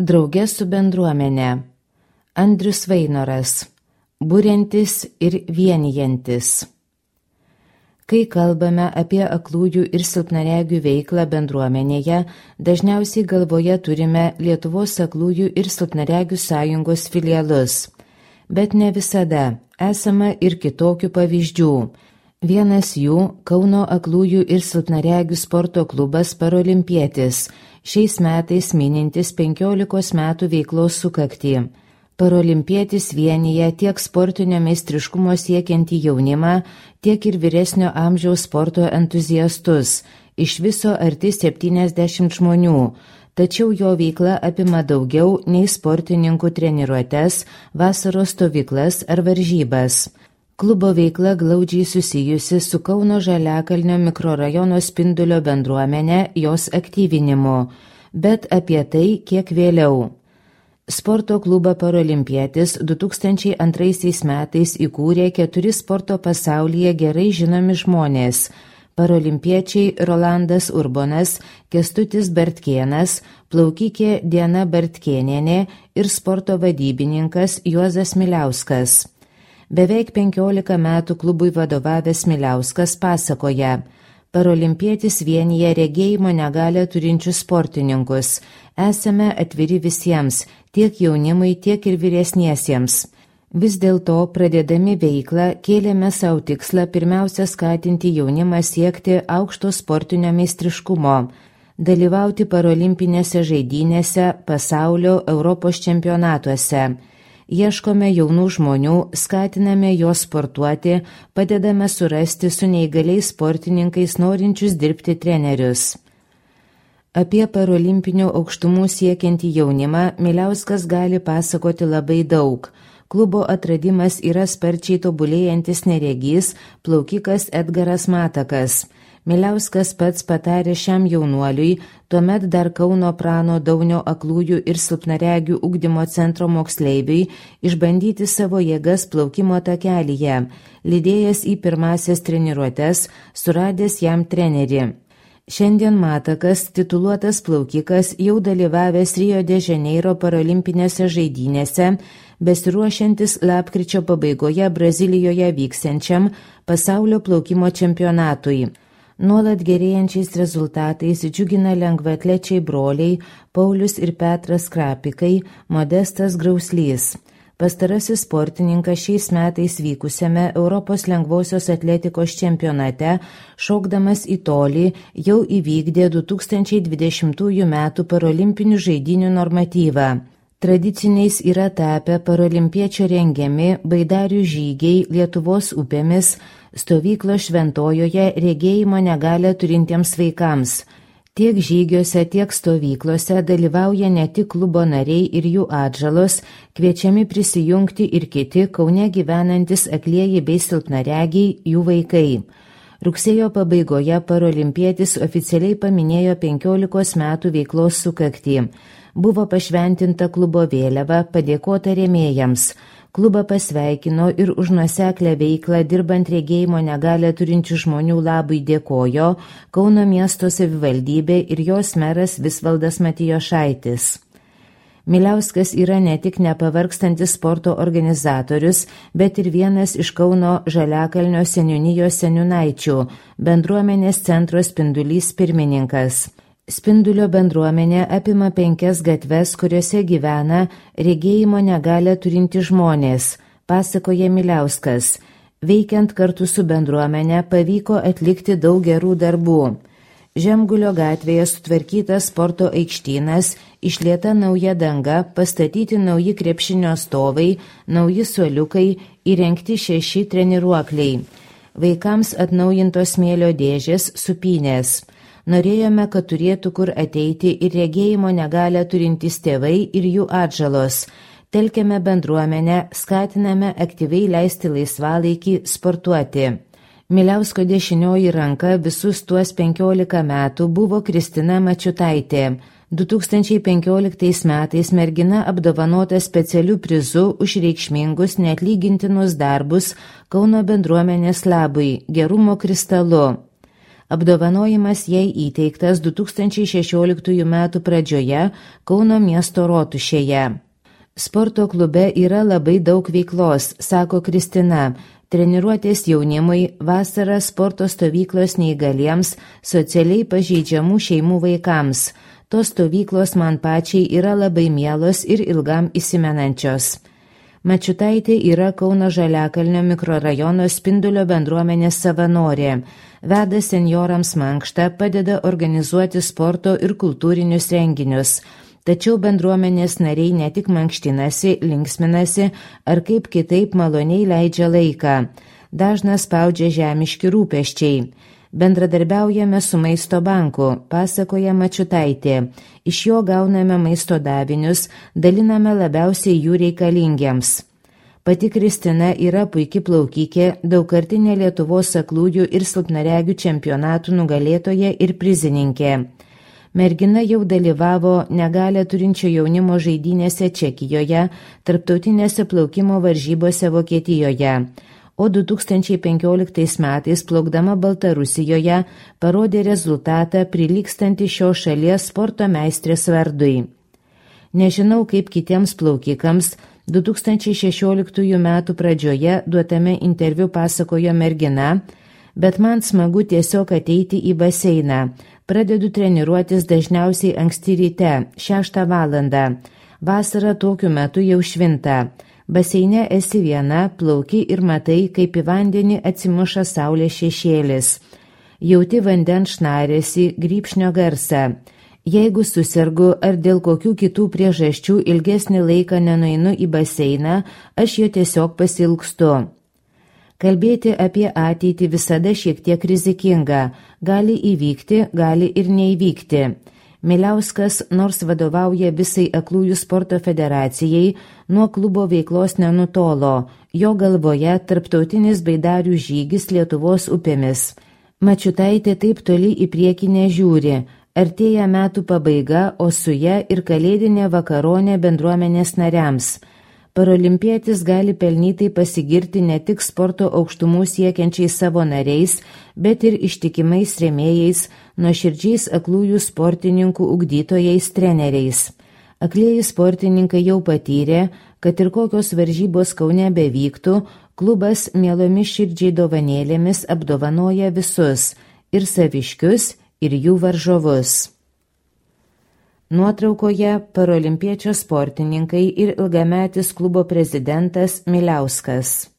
Drauge su bendruomenė. Andrius Vainoras. Buriantis ir vienijantis. Kai kalbame apie aklųjų ir silpnaregių veiklą bendruomenėje, dažniausiai galvoje turime Lietuvos aklųjų ir silpnaregių sąjungos filialus. Bet ne visada, esama ir kitokių pavyzdžių. Vienas jų – Kauno aklųjų ir silpnaregių sporto klubas Parolimpietis, šiais metais minintis 15 metų veiklos sukaktį. Parolimpietis vienija tiek sportinio meistriškumo siekiantį jaunimą, tiek ir vyresnio amžiaus sporto entuziastus, iš viso arti 70 žmonių, tačiau jo veikla apima daugiau nei sportininkų treniruotes, vasaros stovyklas ar varžybas. Klubo veikla glaudžiai susijusi su Kauno Žaliakalnio mikrorajono Spindulio bendruomenė, jos aktyvinimu, bet apie tai kiek vėliau. Sporto klubą Parolimpietis 2002 metais įkūrė 4 sporto pasaulyje gerai žinomi žmonės – parolimpiečiai Rolandas Urbonas, Kęstutis Bartkėnas, plaukikė Diana Bartkėnienė ir sporto vadybininkas Juozas Miliauskas. Beveik 15 metų klubui vadovavęs Miliauskas pasakoja: Parolimpietis vienija regėjimo negalią turinčius sportininkus. Esame atviri visiems, tiek jaunimui, tiek ir vyresniesiems. Vis dėlto, pradėdami veiklą, kėlėme savo tikslą pirmiausia skatinti jaunimą siekti aukšto sportinio meistriškumo, dalyvauti parolimpinėse žaidynėse, pasaulio, Europos čempionatuose. Ieškome jaunų žmonių, skatiname juos sportuoti, padedame surasti su neįgaliais sportininkais norinčius dirbti trenerius. Apie parolimpinių aukštumų siekiantį jaunimą Miliauskas gali pasakoti labai daug. Klubo atradimas yra sparčiai tobulėjantis neregys, plaukikas Edgaras Matakas. Miliauskas pats patarė šiam jaunuoliui, tuomet dar Kauno Prano Daunio aklųjų ir silpnaregių ugdymo centro moksleiviui, išbandyti savo jėgas plaukimo takelyje, lydėjęs į pirmasias treniruotes, suradęs jam trenerį. Šiandien Matakas, tituluotas plaukikas, jau dalyvavęs Rio de Janeiro parolimpinėse žaidynėse, besiruošiantis lapkričio pabaigoje Brazilijoje vyksiančiam pasaulio plaukimo čempionatui. Nuolat gerėjančiais rezultatais džiugina lengvaatlečiai broliai Paulius ir Petras Krapikai, Modestas Grauslys. Pastarasis sportininkas šiais metais vykusiame Europos lengvosios atletikos čempionate, šokdamas į tolį, jau įvykdė 2020 metų parolimpinių žaidynių normatyvą. Tradiciniais yra tapę parolimpiečio rengiami baidarių žygiai Lietuvos upėmis, stovyklos Šventojoje regėjimo negalią turintiems vaikams. Tiek žygiuose, tiek stovyklose dalyvauja ne tik klubo nariai ir jų atžalos, kviečiami prisijungti ir kiti Kaune gyvenantis aklieji bei silpnaregiai, jų vaikai. Rugsėjo pabaigoje Parolimpietis oficialiai paminėjo 15 metų veiklos sukaktį. Buvo pašventinta klubo vėliava, padėkota rėmėjams. Klubą pasveikino ir už nuoseklę veiklą dirbant regėjimo negalią turinčių žmonių labui dėkojo Kauno miesto savivaldybė ir jos meras Visvaldas Matijošaitis. Miliauskas yra ne tik nepavargstantis sporto organizatorius, bet ir vienas iš Kauno Žaliakalnio seniūnijos seniūnaičių, bendruomenės centro Spindulys pirmininkas. Spindulio bendruomenė apima 5 gatves, kuriuose gyvena regėjimo negalią turinti žmonės, pasakoja Miliauskas. Veikiant kartu su bendruomenė pavyko atlikti daug gerų darbų. Žemgulio gatvėje sutvarkytas sporto aikštynas, išlieta nauja danga, pastatyti nauji krepšinio stovai, nauji suoliukai, įrengti 6 treniruokliai. Vaikams atnaujintos smėlio dėžės, supynės. Norėjome, kad turėtų kur ateiti ir regėjimo negalią turintys tėvai ir jų atžalos. Telkiame bendruomenę, skatiname aktyviai leisti laisvalaikį, sportuoti. Miliausko dešinioji ranka visus tuos 15 metų buvo Kristina Mačiutaitė. 2015 metais mergina apdovanota specialiu prizu už reikšmingus neatlygintinus darbus Kauno bendruomenės labui, gerumo kristalu. Apdovanojimas jai įteiktas 2016 m. pradžioje Kauno miesto rotušėje. Sporto klube yra labai daug veiklos, sako Kristina. Treniruotės jaunimui, vasara sporto stovyklos neįgaliems, socialiai pažeidžiamų šeimų vaikams. Tos stovyklos man pačiai yra labai mielos ir ilgam įsimenančios. Mačiutaitė yra Kauno Žaliakalnio mikrorajono Spindulio bendruomenės savanorė. Veda senjorams mankštą, padeda organizuoti sporto ir kultūrinius renginius. Tačiau bendruomenės nariai ne tik mankštinasi, linksminasi ar kaip kitaip maloniai leidžia laiką. Dažnas spaudžia žemiški rūpesčiai. Bendradarbiaujame su Maisto banku, pasakoja Mačiutaitė. Iš jo gauname maisto davinius, daliname labiausiai jų reikalingiems. Pati Kristina yra puiki plaukikė, daugkartinė Lietuvos aklųjų ir silpnaregių čempionatų nugalėtoja ir prizininkė. Mergina jau dalyvavo negalią turinčio jaunimo žaidynėse Čekijoje, tarptautinėse plaukimo varžybose Vokietijoje. O 2015 metais plaukdama Baltarusijoje parodė rezultatą prilygstantį šios šalies sporto meistrės vardui. Nežinau kaip kitiems plaukikams, 2016 m. pradžioje duotame interviu pasakojo mergina, bet man smagu tiesiog ateiti į baseiną. Pradedu treniruotis dažniausiai anksti ryte, 6 valandą. Vasarą tokiu metu jau švinta. Baseine esi viena, plauki ir matai, kaip į vandenį atsimuša saulės šešėlis. Jauti vandens šnarėsi, grybšnio garsą. Jeigu susergu ar dėl kokių kitų priežasčių ilgesnį laiką nenueinu į baseiną, aš jo tiesiog pasilgstu. Kalbėti apie ateitį visada šiek tiek rizikinga. Gali įvykti, gali ir neįvykti. Miliauskas, nors vadovauja visai aklųjų sporto federacijai, nuo klubo veiklos nenutolo. Jo galvoje tarptautinis baidarių žygis Lietuvos upėmis. Mačiutaitė taip toli į priekį nežiūri. Artėja metų pabaiga, o su ja ir kalėdinė vakaronė bendruomenės nariams. Parolimpietis gali pelnytai pasigirti ne tik sporto aukštumų siekiančiais savo nariais, bet ir ištikimais rėmėjais, nuoširdžiais aklųjų sportininkų ugdytojais treneriais. Aklieji sportininkai jau patyrė, kad ir kokios varžybos Kaune bevyktų, klubas mielomis širdžiai dovanėlėmis apdovanoja visus, ir saviškius, ir jų varžovus. Nuotraukoje parolimpiečio sportininkai ir ilgametis klubo prezidentas Miliauskas.